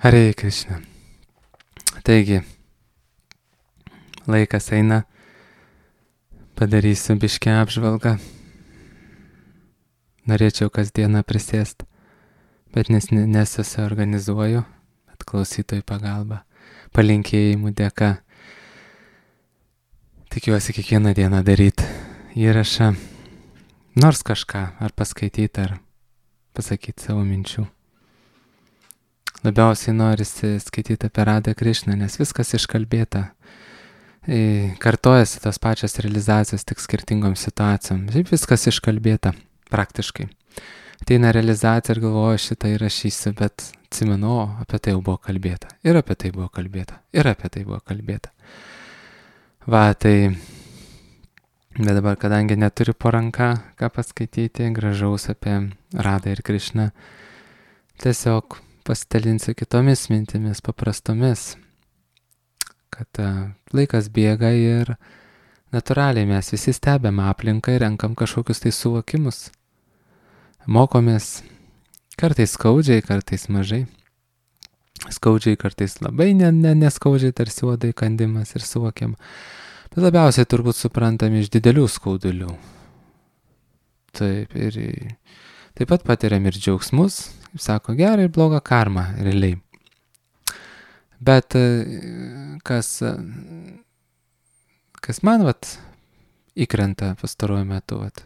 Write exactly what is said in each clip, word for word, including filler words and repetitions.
Hare Krishna. Taigi, laikas eina, padarysiu biškę apžvalgą. Norėčiau kasdieną prisėsti, bet nes, nesusiorganizuoju, bet klausytojų pagalba, palinkėjimų dėka. Tikiuosi kiekvieną dieną daryti įrašą, nors kažką, ar paskaityti, ar pasakyti savo minčių. Labiausiai norisi skaityti apie Radą Krišną, nes viskas iškalbėta. Kartojasi tos pačios realizacijos, tik skirtingom situacijom. Šiaip viskas iškalbėta, praktiškai. Ateina realizacija ir galvoju, šitą įrašysiu, bet atsimenu, o, apie tai jau buvo kalbėta. Ir apie tai buvo kalbėta. Ir apie tai buvo kalbėta. Va, tai... Bet dabar, kadangi neturiu po ranka, ką paskaityti, gražaus apie Radą ir Krišną, tiesiog pasidalinsiu kitomis mintimis, paprastomis, kad uh, laikas bėga ir natūraliai mes visi stebėm aplinką ir renkam kažkokius tai suvokimus. Mokomės kartais skaudžiai, kartais mažai. Skaudžiai kartais labai ne, ne, neskaudžiai, tarsi uodai kandimas ir suvokiam. Bet labiausiai turbūt suprantam iš didelių skaudulių. Taip, ir taip pat patiriam ir džiaugsmus, kaip sako, gerą ir blogą karmą, realiai. Bet kas, kas man, vat, įkrenta pastaruoju metu, vat,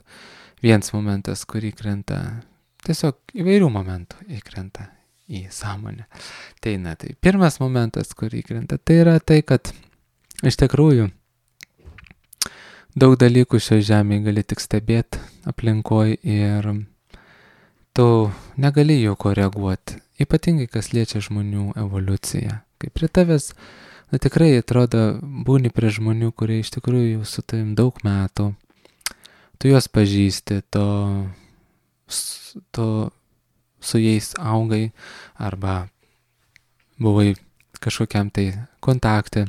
vienas momentas, kur įkrenta, tiesiog įvairių momentų įkrenta į sąmonę. Tai, na, tai pirmas momentas, kur įkrenta, tai yra tai, kad iš tikrųjų daug dalykų šioje žemėje gali tik stebėti aplinkoj ir tu negali jų koreguoti, ypatingai kas liečia žmonių evoliuciją. Kai prie tavęs, na tikrai atrodo, būni prie žmonių, kurie iš tikrųjų jau su tavim daug metų, tu juos pažįsti, tu, tu su jais augai arba buvai kažkokiam tai kontakte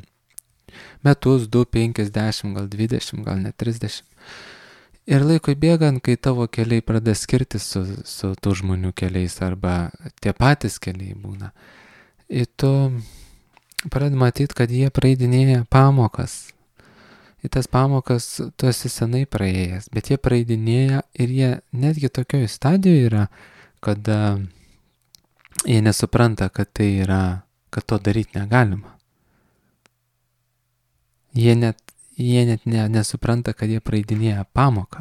metus, du, penkis, dešimt, gal dvidešimt, gal net trisdešimt. Ir laikui bėgant, kai tavo keliai pradeda skirtis su, su tų žmonių keliais arba tie patys keliai būna, ir tu pradedi matyti, kad jie praeidinėja pamokas. Ir tas pamokas tu esi senai praėjęs, bet jie praeidinėja ir jie netgi tokioje stadijoje yra, kad uh, jie nesupranta, kad tai yra, kad to daryti negalima. Jie net Jie net ne, nesupranta, kad jie praeidinėja pamoką.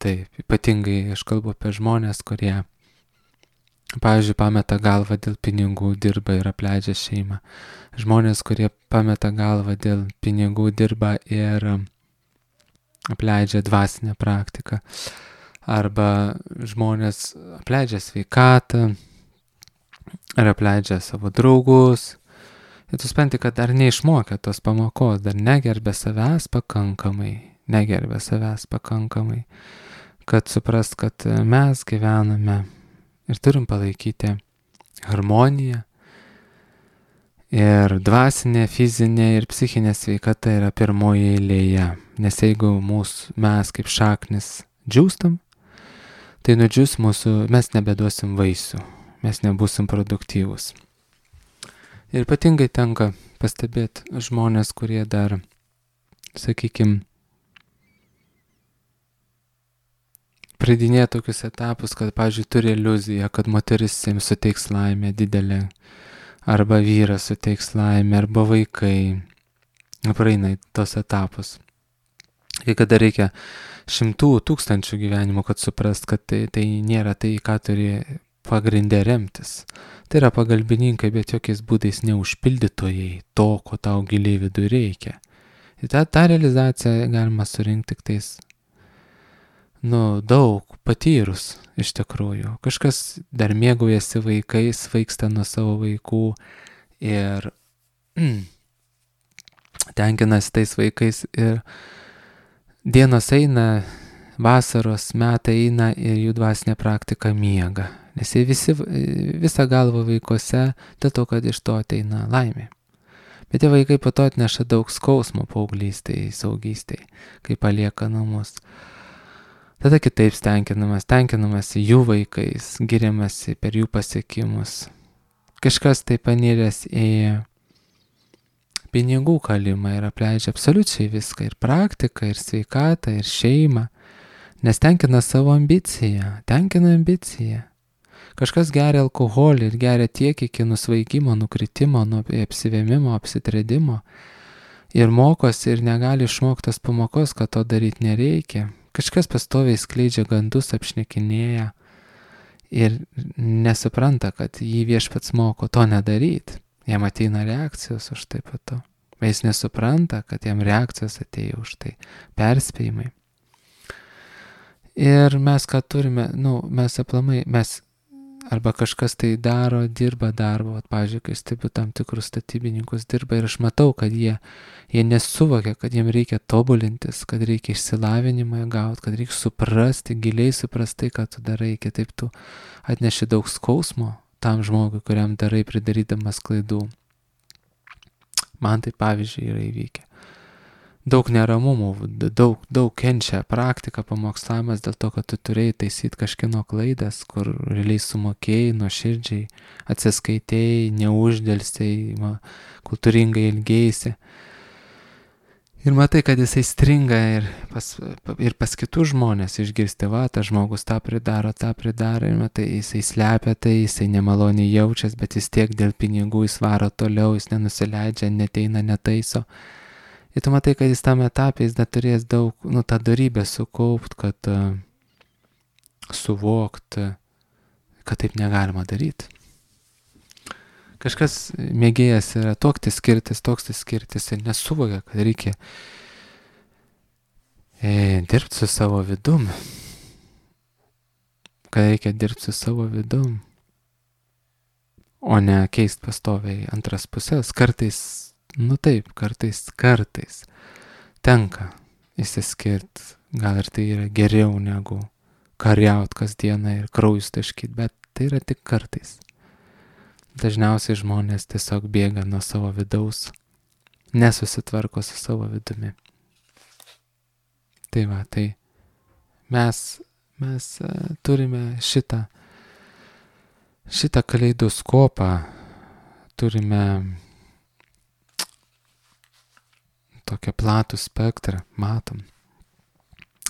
Taip, ypatingai aš kalbu apie žmonės, kurie, pavyzdžiui, pameta galvą dėl pinigų, dirba ir apleidžia šeimą. Žmonės, kurie pameta galvą dėl pinigų, dirba ir apleidžia dvasinę praktiką. Arba žmonės apleidžia sveikatą, ar apleidžia savo draugus. Ir tu supranti, kad dar neišmokė tos pamokos, dar negerbė savęs pakankamai, negerbė savęs pakankamai, kad suprast, kad mes gyvename ir turim palaikyti harmoniją. Ir dvasinė, fizinė ir psichinė sveikata yra pirmoje eilėje. Nes jeigu mūsų, mes kaip šaknis džiūstam, tai nudžius mūsų, mes nebeduosim vaisių, mes nebūsim produktyvus. Ir ypatingai tenka pastebėti žmonės, kurie dar, sakykime, praeidinėja tokius etapus, kad, pavyzdžiui, turi iliuziją, kad moteris jiems suteiks laimę didelę, arba vyras suteiks laimę, arba vaikai. Praeina tos etapus. Kai kada reikia šimtų tūkstančių gyvenimų, kad suprast, kad tai, tai nėra tai, ką turi pagrindė remtis. Tai yra pagalbininkai, bet jokiais būdais neužpildytojai to, ko tau giliai viduje reikia. Ir tą, tą realizaciją galima surinkti tik tais, nu, daug patyrus iš tikrųjų. Kažkas dar mėgaujasi vaikais, vaiksta nuo savo vaikų ir mm, tenkinasi tais vaikais ir dienos eina, vasaros metai eina ir jų dvasinė praktika miega. Nes jie visi, visą galvą vaikuose, dėl to, kad iš to ateina laimė. Bet tie vaikai po to atneša daug skausmo paauglystėje, saugystėje, kai palieka namus. Tada kitaip stenkinamas, tenkinamas jų vaikais, giriamasi per jų pasiekimus. Kažkas tai paniręs į pinigų kalimą ir apleidžia absoliučiai viską, ir praktiką, ir sveikatą, ir šeimą, nes tenkina savo ambiciją, tenkina ambiciją. Kažkas geria alkoholį ir geria tiek iki nusvaigimo, nukritimo, nuo apsivėmimo, apsitredimo ir mokosi ir negali išmoktas pamokos, kad to daryti nereikia. Kažkas pastoviai skleidžia gandus, apšnekinėja ir nesupranta, kad jį viešpats moko to nedaryti. Jam ateina reakcijos už tai po to. Bet jis nesupranta, kad jam reakcijos atėjo už tai. Perspėjimai. Ir mes ką turime, nu, mes aplamai, mes arba kažkas tai daro, dirba darbą, pavyzdžiui, kai stebiu tam tikrus statybininkus dirba ir aš matau, kad jie, jie nesuvokia, kad jiem reikia tobulintis, kad reikia išsilavinimą gauti, kad reikia suprasti, giliai suprasti, ką tu darai, kitaip tu atneši daug skausmo tam žmogui, kuriam darai pridarydamas klaidų. Man tai pavyzdžiui yra įvykę. Daug neramumų, daug, daug kenčia praktika, pamokslavimas dėl to, kad tu turėjai taisyti kažkieno klaidas, kur realiai sumokėjai, nuoširdžiai, atsiskaitėjai, neuždėlsiai, kultūringai ilgėjaisi. Ir matai, kad jisai stringa ir pas, ir pas kitus žmonės išgirsti, va, tas žmogus tą pridaro, tą pridaro, ir matai, jisai slepia tai, jisai nemaloniai jaučias, bet jis tiek dėl pinigų jis varo toliau, jis nenusileidžia, neteina, netaiso. Ir tu matai, kad jis tam etapė, jis dar turės daug, nu, tą darybę sukaupt, kad uh, suvokt, uh, kad taip negalima daryti. Kažkas mėgėjas yra tokti skirtis, toks skirtis ir nesuvokia, kad reikia e, dirbti su savo vidum. Kad reikia dirbti su savo vidum, o ne keist pastoviai antras pusės. Kartais Nu taip, kartais, kartais tenka įsiskirti, gal ir tai yra geriau negu kariaut kasdieną ir kraujus taškyt, bet tai yra tik kartais. Dažniausiai žmonės tiesiog bėga nuo savo vidaus, nesusitvarko su savo vidumi. Tai va, tai mes, mes uh, turime šitą, šitą kaleidoskopą, turime tokią platų spektrą, matom.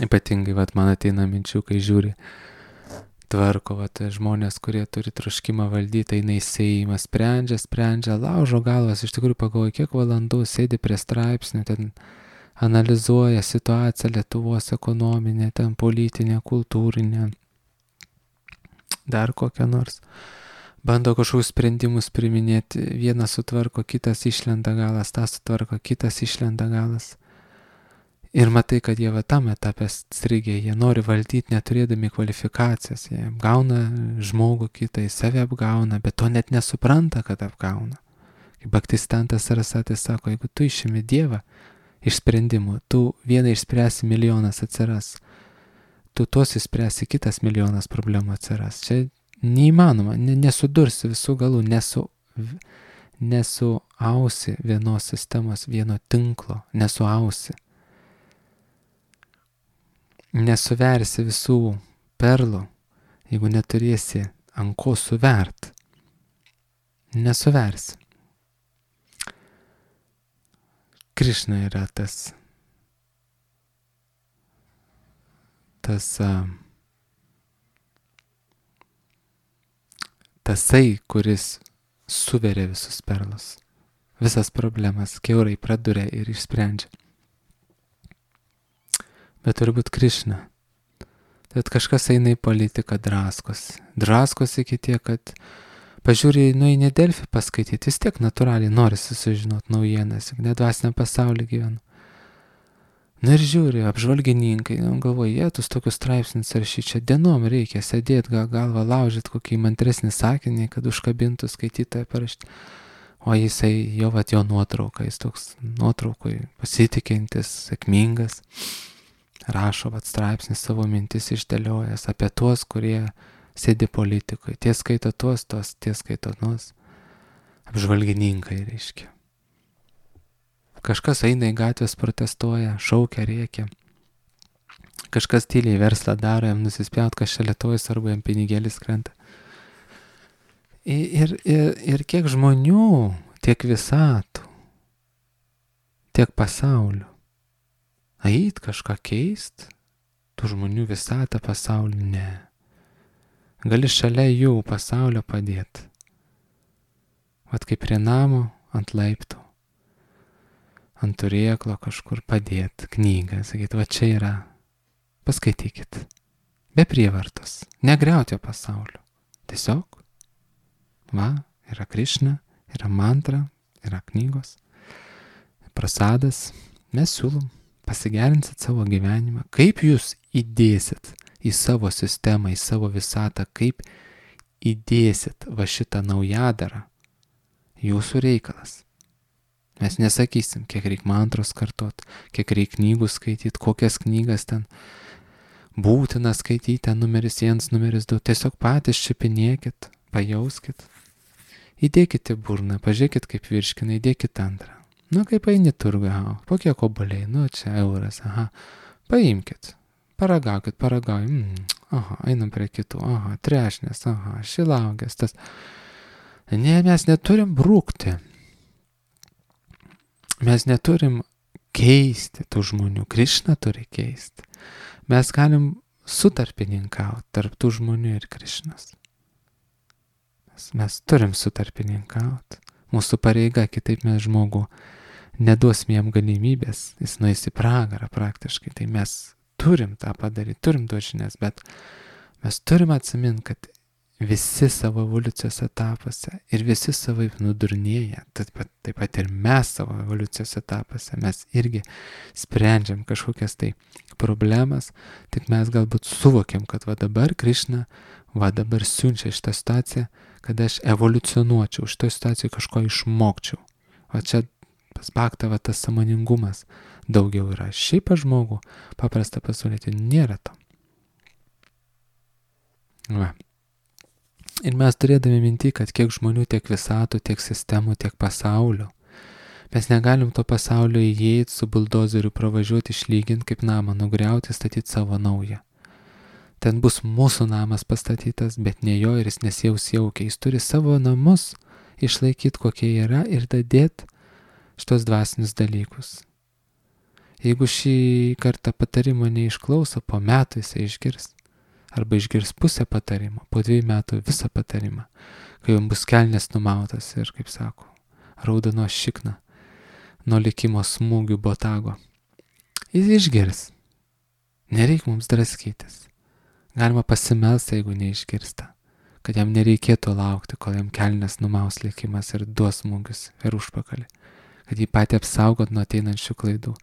Ypatingai, vat, man ateina minčių, kai žiūri, tvarko, vat, žmonės, kurie turi troškimą valdyti, eina į seimą, sprendžia, sprendžia, laužo galvas, iš tikrųjų pagalvoja, kiek valandų sėdi prie straipsnių, ten analizuoja situaciją Lietuvos ekonominę, ten politinę, kultūrinę, dar kokią nors. Bando kažkokius sprendimus priminėti, vienas sutvarko, kitas išlenda galas, tas sutvarko, kitas išlenda galas. Ir matai, kad jie va tam etapė strigė, jie nori valdyti neturėdami kvalifikacijos, jie apgauna žmogų kitą, jis save apgauna, bet to net nesupranta, kad apgauna. Kaip Bhaktistantas Sarasvatis sako, jeigu tu išimi Dievą iš sprendimų, tu vieną išspręsi, milijonas atsiras, tu tuos išspręsi, kitas milijonas problemų atsiras. Čia neįmanoma, nesudursi visų galų, nesu, nesuausi vienos sistemos, vieno tinklo, nesuausi. Nesuversi visų perlų, jeigu neturėsi ant ko suvert. Nesuversi. Krišna yra tas, tas, uh, tasai, kuris suveria visus perlus, visas problemas, kiaurai praduria ir išsprendžia. Bet turbūt Krišna. Tad kažkas eina į politiką, draskos. Draskos iki tiek, kad pažiūrė, nu į Delfį paskaityti, vis tiek natūraliai nori susižinoti naujienas, juk nedvasiniam pasaulyje gyvenu. Na ir žiūri, apžvalgininkai, nu, galvoja, jie tus tokius straipsnius rašyti, čia dienom reikia sėdėti, gal galvą laužyti kokį įmantresnį sakinį, kad užkabintų skaitytoją parašyti. O jisai, jo vat jo nuotrauka, jis toks nuotraukui pasitikintis, sėkmingas, rašo vat straipsnis savo mintis išdėliojęs apie tuos, kurie sėdi politikoje. Tie skaito tuos, tuos, tie skaito tuos. Apžvalgininkai, reiškia. Kažkas eina į gatvės, protestuoja, šaukia, rėkia. kažkas tyliai verslą daro, jam nusispjaut, kas čia Lietuvos, arba jam pinigėlis krenta. Ir, ir, ir kiek žmonių, tiek visatų, tiek pasaulių. Ait kažką keist, tų žmonių visatą pasaulį, ne. Gali šalia jų pasaulio padėti. Vat kaip prie namo, ant laiptų, ant turėklo kažkur padėti knygą, sakyti, va čia yra, paskaitykit. Be prievartos, negriauti jo pasaulio. Tiesiog, va, yra Krišna, yra mantra, yra knygos, prasadas, mes siūlom, pasigerinsit savo gyvenimą. Kaip jūs įdėsit į savo sistemą, į savo visatą, kaip įdėsit va šitą naujadarą, jūsų reikalas. Mes nesakysim, kiek reik mantros kartot, kiek reik knygų skaityti, kokias knygas ten būtina skaityti, ten numeris vienas, numeris du. Tiesiog patys čiupinėkit, pajauskit, įdėkit į burną, pažiūrėkit kaip virškina, įdėkit antrą. Nu, kaip eini turgą, po kiek obuoliai, nu, čia euras, aha, paimkit, paragaukit, paragaujam, mm, aha, einam prie kitų, aha, trešnės, aha, šilaugės, tas. Ne, mes neturim brūkti. Mes neturim keisti tų žmonių. Krišna turi keisti. Mes galim sutarpininkauti tarp tų žmonių ir Krišnos. Mes, mes turim sutarpininkauti. Mūsų pareiga, kitaip mes žmogų neduosim jam galimybės. Jis nueis į pragarą praktiškai. Tai mes turim tą padaryti, turim duoti žinias, bet mes turim atsiminti, kad visi savo evoliucijos etapuose ir visi savaip nudurnėja, taip pat, taip pat ir mes savo evoliucijos etapuose, mes irgi sprendžiam kažkokias tai problemas, tik mes galbūt suvokiam, kad va dabar Krišna, va dabar siunčia šitą situaciją, kad aš evoliucionuočiau, šitą situaciją kažko išmokčiau. Va čia pas Bhaktą va tas sąmoningumas daugiau yra. Šiaip pas žmogų paprasta pasaulyje nėra to. Va. Ir mes turėdami minti, kad kiek žmonių, tiek visatų, tiek sistemų, tiek pasaulio. Mes negalim to pasaulio įeiti, su buldozeriu pravažiuoti, išlyginti kaip namą, nugriauti, statyti savo naują. Ten bus mūsų namas pastatytas, bet ne jo ir jis nesijaus jaukiai. Jis turi savo namus išlaikyti, kokie yra ir dadėti šitos dvasinius dalykus. Jeigu šį kartą patarimo neišklauso, po metų jisai išgirs. Arba išgirs pusę patarimo, po dviejų metų visą patarimą, kai jums bus kelnes numautas ir, kaip sako, raudono šikna nuo likimo smūgių botago. Jis išgirs. Nereik mums draskytis. Galima pasimelsti, jeigu neišgirsta, kad jam nereikėtų laukti, kol jam kelnes numaus likimas ir duos smūgius ir užpakalį, kad jį patį apsaugot nuo ateinančių klaidų.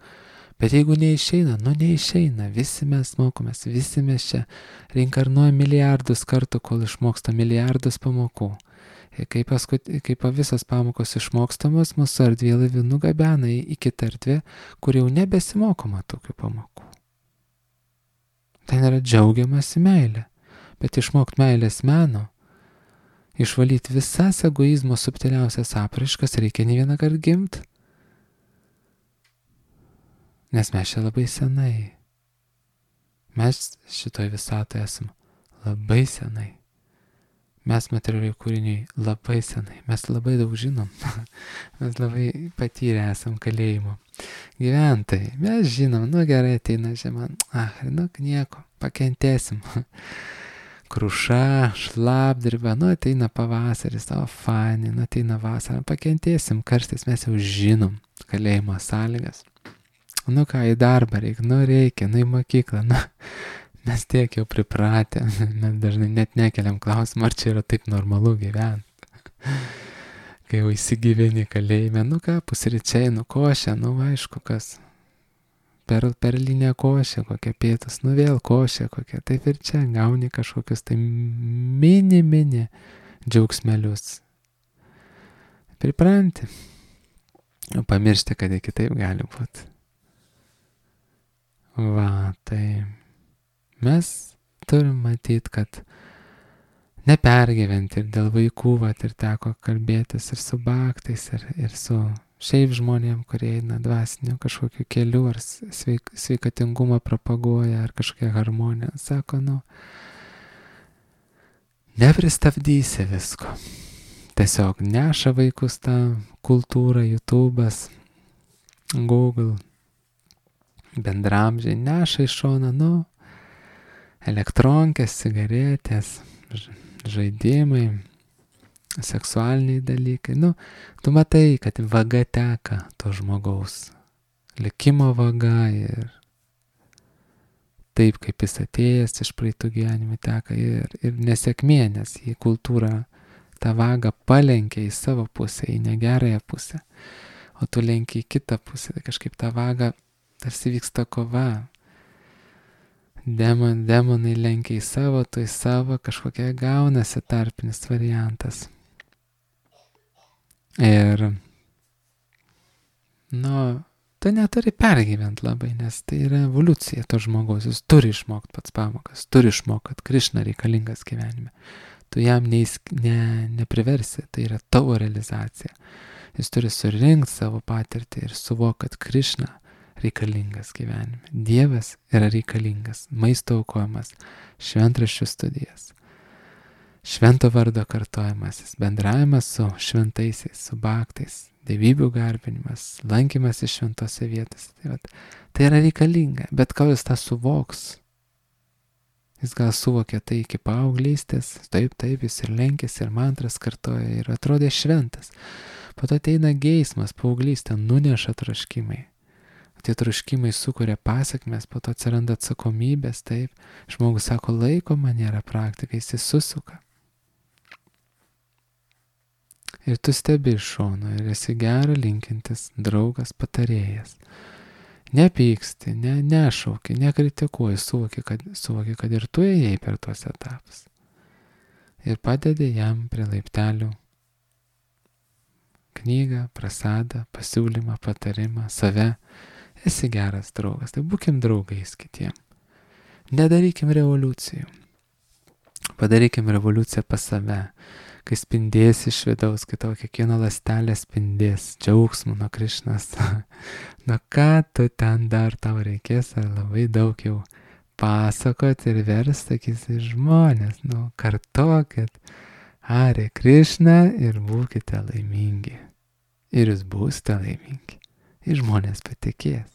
Bet jeigu neišeina, nu neišeina, visi mes mokomės, visi mes čia reinkarnuojam milijardus kartų, kol išmoksta milijardus pamokų. Ir kai, paskut, kai visas pamokos išmokstamos, mūsų erdvėlaivių nugabena į, į kitą erdvę, kur jau nebesimokoma tokių pamokų. Ten yra džiaugiamasi meilė, bet išmokti meilės meno, išvalyti visas egoizmo subtiliausias apraiškas reikia ne vieną kartą gimti. Nes mes čia labai senai. Mes šitoj visatoje esam labai senai. Mes materialiai kūriniai labai senai. Mes labai daug žinom. Mes labai patyrę esam kalėjimo gyventojai. Mes žinom, nu gerai ateina žiema. Ah, nu nieko, pakentėsim. Kruša, šlapdriba, nu ateina pavasaris, o fani, nu ateina vasara, pakentėsim, karštis mes jau žinom kalėjimo sąlygas. Nu ką, į darbą reikia, nu reikia, nu į mokyklą, nu, mes tiek jau pripratę, mes dažnai net nekeliam klausimą, ar čia yra taip normalu gyventi. Kai jau įsigyveni kalėjime, nu ką, pusryčiai, nu košė, nu aišku kas, per, perlinė košė, kokia pietus, nu vėl košė kokia, taip ir čia gauni kažkokius tai mini, mini džiaugsmelius. Pripranti, pamiršti, kad ir kitaip gali būti. Va, tai mes turim matyti, kad nepergyventi ir dėl vaikų, va, ir teko kalbėtis ir su Bhaktais, ir, ir su šiaip žmonėm, kurie eina dvasiniu kažkokiu keliu, ar sveik, sveikatingumą propaguoja, ar kažkokią harmoniją. Sako, nu, nepristabdysi visko. Tiesiog neša vaikus tą kultūrą, YouTube'as, Google, bendramžiai, neša iš šoną, nu, elektronkės, cigaretės, žaidimai, seksualiniai dalykai. Nu, tu matai, kad vaga teka to žmogaus. Likimo vaga ir taip, kaip jis atėjęs iš praeitų gyvenimų teka ir, ir nesėkmė, nes į kultūrą tą vagą palenkia į savo pusę, į negerąją pusę. O tu lenki į kitą pusę, tai kažkaip tą vagą tarsi vyksta kova. Demon, demonai lenkia į savo, tu į savo, kažkokia gaunasi tarpinis variantas. Ir, nu, tu neturi pergyventi labai, nes tai yra evoliucija to žmogaus, jis turi išmokti pats pamokas, turi išmokti, kad Krišna reikalingas gyvenime. Tu jam neįs, ne, nepriversi, tai yra tavo realizacija. Jis turi surinkti savo patirtį ir suvokti, kad Krišna reikalingas gyvenime. Dievas yra reikalingas, maisto aukojimas, šventraščių studijas, švento vardo kartojimasis, bendravimas su šventaisiais, su baktais, dievybių garbinimas, lankymas iš šventose vietose. Tai, vat, tai yra reikalinga, bet kol jis tą suvoks, jis gal suvokė tai iki paauglystės, taip, taip, jis ir lenkėsi, ir mantras kartoja, ir atrodė šventas. Po to ateina geismas, paauglystė, nuneša troškimai. Tie troškimai sukuria pasiekmes, po to atsiranda atsakomybės, taip. Žmogus sako, laiko man nėra praktika, jis susisuka. Ir tu stebi iš šono ir esi gerą linkintis draugas, patarėjas. Nepyksti, ne, nešauki, nekritikuoji, suvoki kad, suvoki, kad ir tu ėjai per tuos etapus. Ir padedi jam prie laiptelių knygą, prasadą, pasiūlymą, patarimą, save. Esi geras draugas, tai būkim draugais kitiem. Nedarykim revoliucijų. Padarykim revoliuciją pas save, kai spindės iš vidaus, kai tavo kiekviena ląstelė spindės džiaugsmu nuo Krišnos. Nu ką tu ten dar tau reikės, ar labai daug jau pasakot ir verst, sakysi, žmonės, nu kartokit, Hare Krišna ir būkite laimingi. Ir jūs būsite laimingi. Ir žmonės patikės.